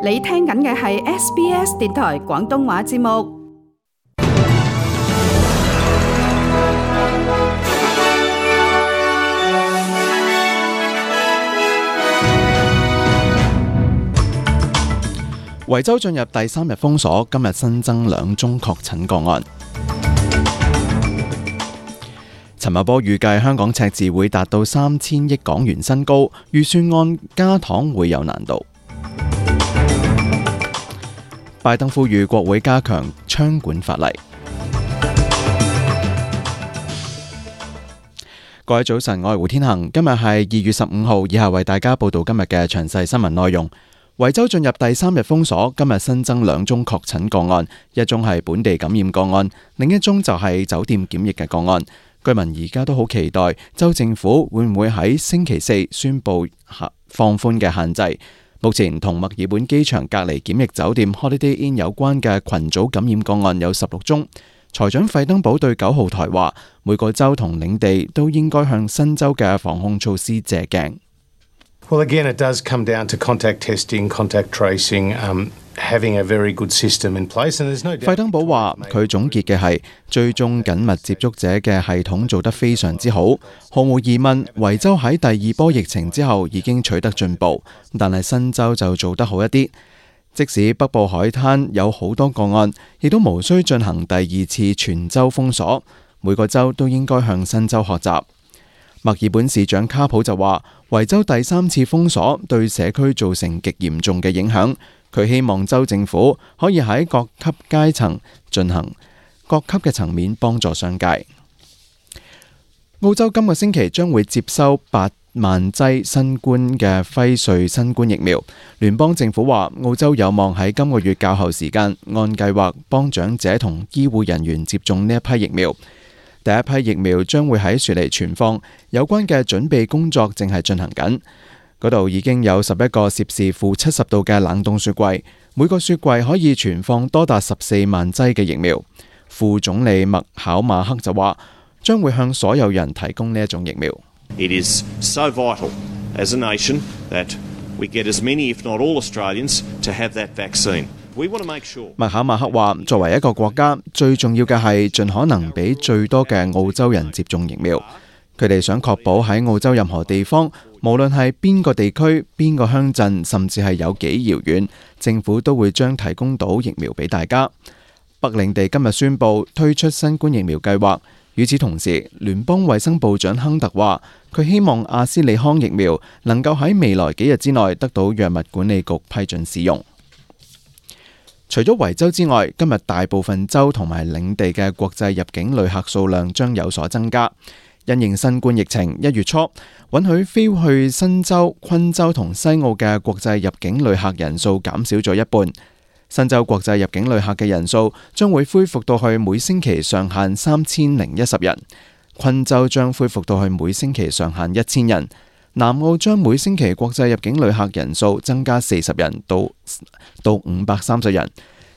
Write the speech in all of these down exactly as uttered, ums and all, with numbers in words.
你聽緊嘅係 S B S 電台廣東話節目。維州進入第三日封鎖，今日新增兩宗確診個案。陳茂波預計香港赤字會達到三千億港元新高，預算案加糖會有難度。拜登呼籲國會加強槍管法例。各位早晨，我係胡天恒，今日係二月十五號，以下為大家報道今日嘅詳細新聞內容。維州進入第三日封鎖，今日新增兩宗確診個案，一宗係本地感染個案，另一宗就係酒店檢疫嘅個案。居民而家都好期待州政府會唔會喺星期四宣布放寬嘅限制。目前同墨爾本機場隔離檢疫酒店 Holiday Inn 有關嘅群組感染個案有十六宗。財長費登堡對九號台話，每個州同領地都應該向新州嘅防控措施借鏡。Well, again, it does come down to contact testing, contact tracing, um, having a very good system in place, and there's no doubt. 費登堡話，佢總結嘅係追蹤緊密接觸者嘅系統做得非常之好，毫無疑問，維州喺第二波疫情之後已經取得進步，但係新州就做得好一啲。即使北部海灘有好多個案，亦都無需進行第二次全州封鎖，每個州都應該向新州學習。墨爾本市長卡普就話，維州第三次封鎖對社區造成極嚴重嘅影響，佢希望州政府可以喺各級階層進行各級嘅層面幫助商界。澳洲今個星期將會接收八萬劑新冠嘅輝瑞新冠疫苗，聯邦政府話澳洲有望喺今個月較後時間按計劃幫長者同醫護人員接種呢一批疫苗。第一批疫苗將會喺雪梨存放，有關嘅準備工作正係進行緊。嗰度已經有十一個攝氏負七十度嘅冷凍雪櫃，每個雪櫃可以存放多達十四萬劑嘅疫苗。副總理麥考馬克就話，將會向所有人提供呢一種疫苗。It is so vital as a nation that we get as many, if not all Australians, to have that vaccine. 麥考馬克話，作為一個國家，最重要嘅係盡可能俾最多嘅澳洲人接種疫苗。佢哋想確保喺澳洲任何地方，無論係邊個地區、邊個鄉鎮，甚至係有幾遙遠，政府都會將提供到疫苗俾大家。北領地今日宣布推出新冠疫苗計劃。與此同時，聯邦衛生部長亨特話，佢希望阿斯利康疫苗能夠喺未來幾日之內得到藥物管理局批准使用。除咗維州之外，今日大部分州同埋領地嘅國際入境旅客數量將有所增加。因應新冠疫情，一月初允許飛去新州、昆州同西澳嘅國際入境旅客人數減少咗一半。新州國際入境旅客嘅人數將會恢復到去每星期上限三千零一十人，昆州將恢復到去每星期上限一千人。南澳將每星期國際入境旅客人數增加四十人到到五百三十人，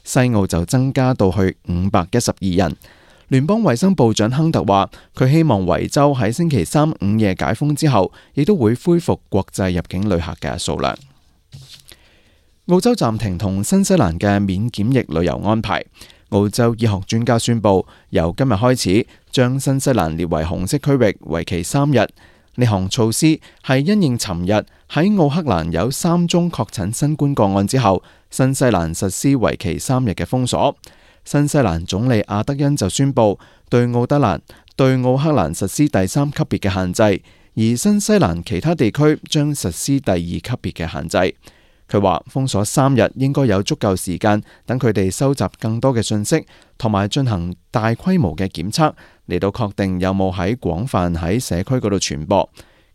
西澳就增加到去五百一十二人。聯邦衛生部長亨特話，佢希望維州喺星期三午夜解封之後，亦都會恢復國際入境旅客嘅數量。澳洲暫停同新西蘭嘅免檢疫旅遊安排。澳洲醫學專家宣布，由今日開始將新西蘭列為紅色區域，為期三日。呢項措施係因應尋日喺奧克蘭有三宗確診新冠個案之後，新西蘭實施為期三日嘅封鎖。新西蘭總理阿德恩就宣布對奧德蘭、對奧克蘭實施第三級別嘅限制，而新西蘭其他地區將實施第二級別嘅限制。佢話封鎖三日應該有足夠時間等佢哋收集更多嘅信息，同埋進行大規模嘅檢測，嚟到確定有冇喺廣泛喺社區嗰度傳播。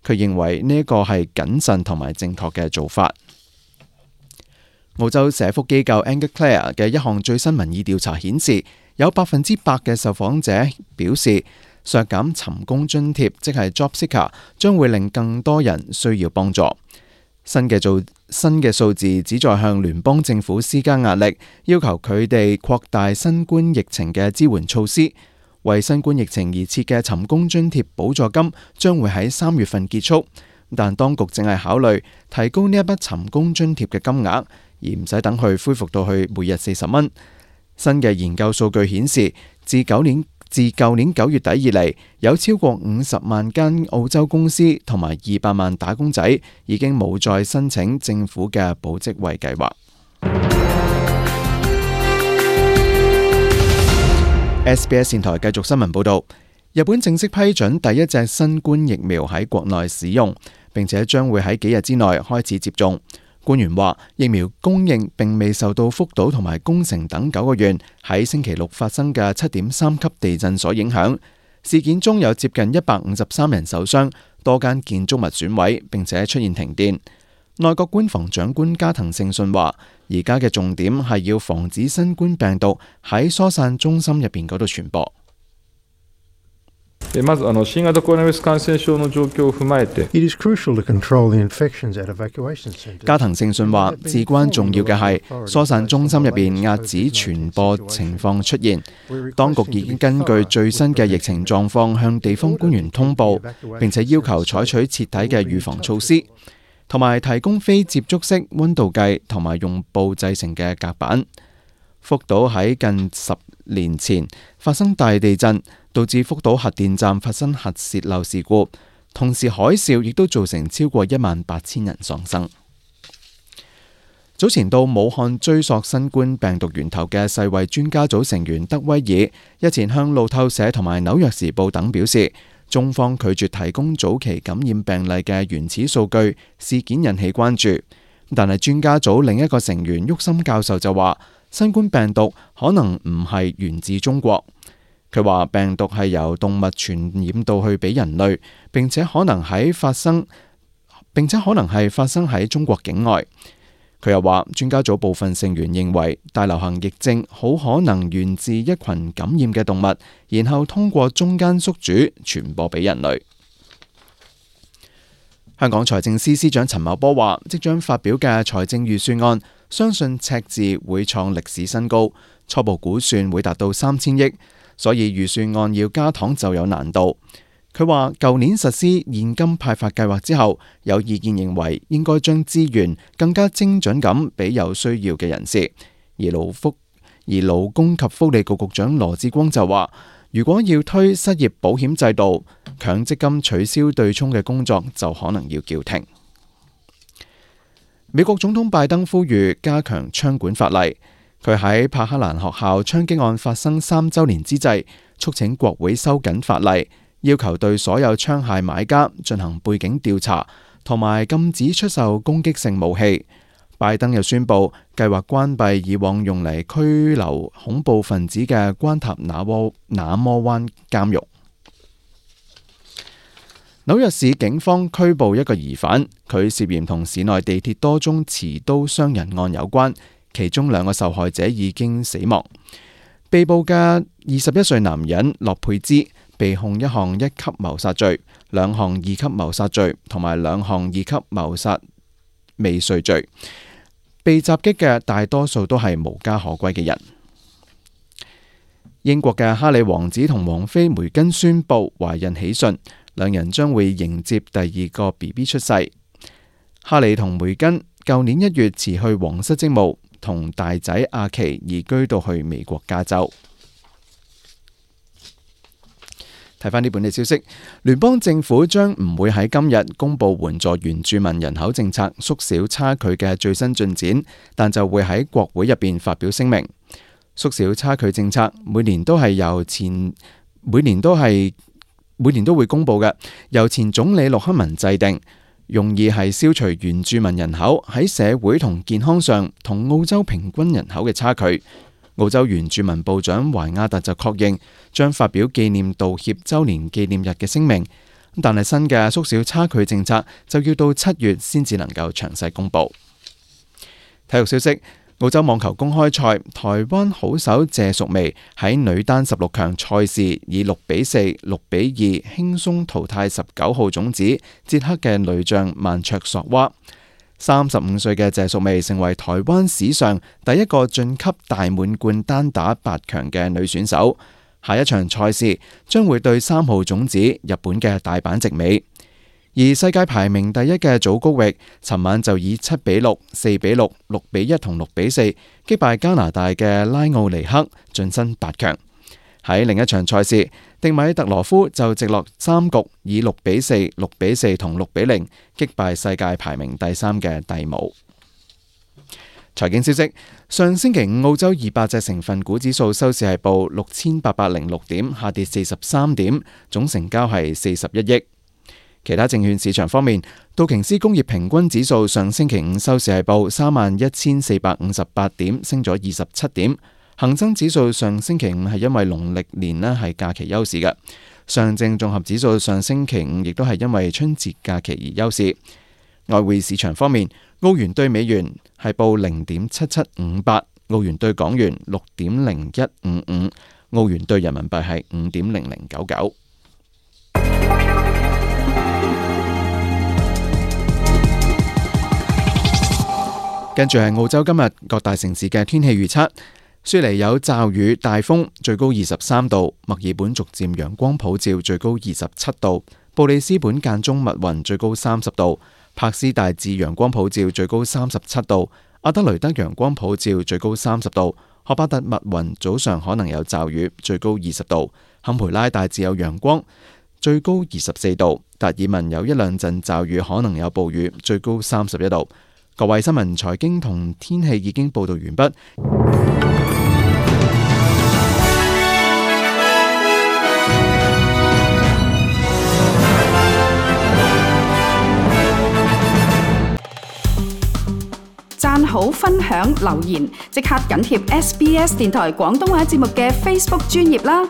佢認為呢一個係謹慎同埋正確嘅做法。澳洲社福機構 Anglicare 嘅一項最新民意調查顯示，有百分之百嘅受訪者表示削減尋工津貼，即係 Job Seeker， 將會令更多人需要幫助。新嘅做新嘅數字旨在向聯邦政府施加壓力，要求佢哋擴大新冠疫情嘅支援措施。為新冠疫情而設嘅尋工津貼補助金將會喺三月份結束，但當局正係考慮提高呢一筆尋工津貼嘅金額，而唔使等佢恢復到去每日四十蚊。新嘅研究數據顯示，自舊年自舊年九月底以嚟，有超過五十萬間澳洲公司同埋二百萬打工仔已經冇再申請政府嘅保職位計劃。S B S 電台繼續新聞報導，日本正式批准第一隻新冠疫苗喺國內使用，並且將會喺幾日之內開始接種。官員話，疫苗供應並未受到福島同埋宮城等九個縣喺星期六發生嘅七點三級地震所影響。事件中有接近一百五十三人受傷，多間建築物損毀，並且出現停電。內閣官房長官加藤勝信話，而家嘅重點係要防止新冠病毒喺疏散中心入邊嗰度傳播。まずあの新型コロナウイルス感染症の狀況を踏まえて It is crucial to control the infections at evacuation centers. 加藤勝信話，至關重要嘅係疏散中心入邊遏止傳播情況出現。當局已經根據最新嘅疫情狀況向地方官員通報，並且要求採取徹底嘅預防措施，同埋提供非接觸式溫度計同埋用布製成嘅隔板。福島喺近十年前發生大地震，導致福島核電站發生核泄漏事故，同時海嘯亦都造成超過一萬八千人喪生。早前到武漢追溯新冠病毒源頭嘅世衛專家組成員德威爾日前向路透社同埋紐約時報等表示，中方拒絕提供早期感染病例嘅原始數據，事件引起關注。但係專家組另一個成員沃森教授就話，新冠病毒可能唔係源自中國。佢話病毒係由動物傳染到去俾人類，並且可能喺發生，並且可能係發生喺中國境外。佢又話專家組部分成員認為大流行疫症好可能源自一群感染嘅動物，然後通過中間宿主傳播俾人類。香港財政司司長陳茂波話，即將發表嘅財政預算案相信赤字會創歷史新高，初步估算會達到三千億，所以預算案要加糖就有難度。佢話舊年實施現金派發計劃之後，有意見認為應該將資源更加精準咁俾有需要嘅人士。而勞福而勞工及福利局局長羅致光就話，如果要推失業保險制度，強積金取消對沖嘅工作就可能要叫停。美國總統拜登呼籲加強槍管法例。佢喺柏克蘭學校槍擊案發生三週年之際，促請國會收緊法例，要求對所有槍械買家進行背景調查，同埋禁止出售攻擊性武器。拜登又宣布計劃關閉以往用嚟拘留恐怖分子嘅關塔那摩那摩灣監獄。紐約市警方拘捕一個疑犯，佢涉嫌同市內地鐵多宗持刀傷人案有關，其中兩個受害者已經死亡。被捕嘅二十一歲男人洛佩茲被控一項一級謀殺罪、兩項二級謀殺罪同埋兩項二級謀殺未遂罪。被襲擊嘅大多數都係無家可歸嘅人。英國嘅哈里王子同王妃梅根宣布懷孕喜訊，兩人將會迎接第二個 B B 出世。哈里同梅根舊年一月辭去皇室職務，同大仔阿奇移居到去美國加州。睇返呢本地消息，聯邦政府將唔會喺今日公布援助原住民人口政策縮小差距嘅最新進展，但就會喺國會入邊發表聲明。縮小差距政策每年都係由前每年都係每年都會公布嘅，由前總理陸克文制定，用意係消除原住民人口喺社會同健康上同澳洲平均人口嘅差距。澳洲原住民部長懷亞特就確認將發表紀念道歉週年紀念日嘅聲明，但係新嘅縮小差距政策就要到七月先至能夠詳細公布。體育消息，澳洲網球公開賽，台灣好手謝淑薇喺女單十六強賽事以六比四、六比二輕鬆淘汰十九號種子捷克嘅女將曼卓索娃。三十五歲嘅謝淑薇成為台灣史上第一個晉級大滿貫單打八強嘅女選手。下一場賽事將會對三號種子日本嘅大阪直美。而世界排名第一嘅祖高域，尋晚就以七比六、四比六、六比一同六比四擊敗加拿大嘅拉奧尼克，晉身八強。喺另一場賽事，迪米特羅夫就直落三局以六比四、六比四同六比零擊敗世界排名第三嘅蒂姆。財經消息，上星期五澳洲二百隻成分股指數收市係報六千八百零六點，下跌四十三點，總成交係四十一億。其他證券市場方面，道瓊斯工業平均指數上星期五收市係報三萬一千四百五十八點，升咗二十七點。恒生指數上星期五係因為農曆年呢係假期休市嘅。上證綜合指數上星期五亦都係因為春節假期而休市。外匯市場方面，澳元兌美元係報零點七七五八，澳元兌港元六點零一五五，澳元兌人民幣係五點零零九九。跟住係澳洲今日各大城市嘅天氣預測。雪梨有驟雨、大風，最高二十三度；墨爾本逐漸陽光普照，最高二十七度；布里斯本間中密雲，最高三十度；柏斯大致陽光普照，最高三十七度；阿德雷德陽光普照，最高三十度；荷巴特密雲，早上可能有驟雨，最高二十度；坎培拉大致有陽光，最高二十四度；達爾文有一兩陣驟雨，可能有暴雨，最高三十一度。各位新聞、財經同天氣已經報道完畢。讚好、分享、留言，即刻緊貼 S B S 電台廣東話節目嘅 Facebook 專頁啦！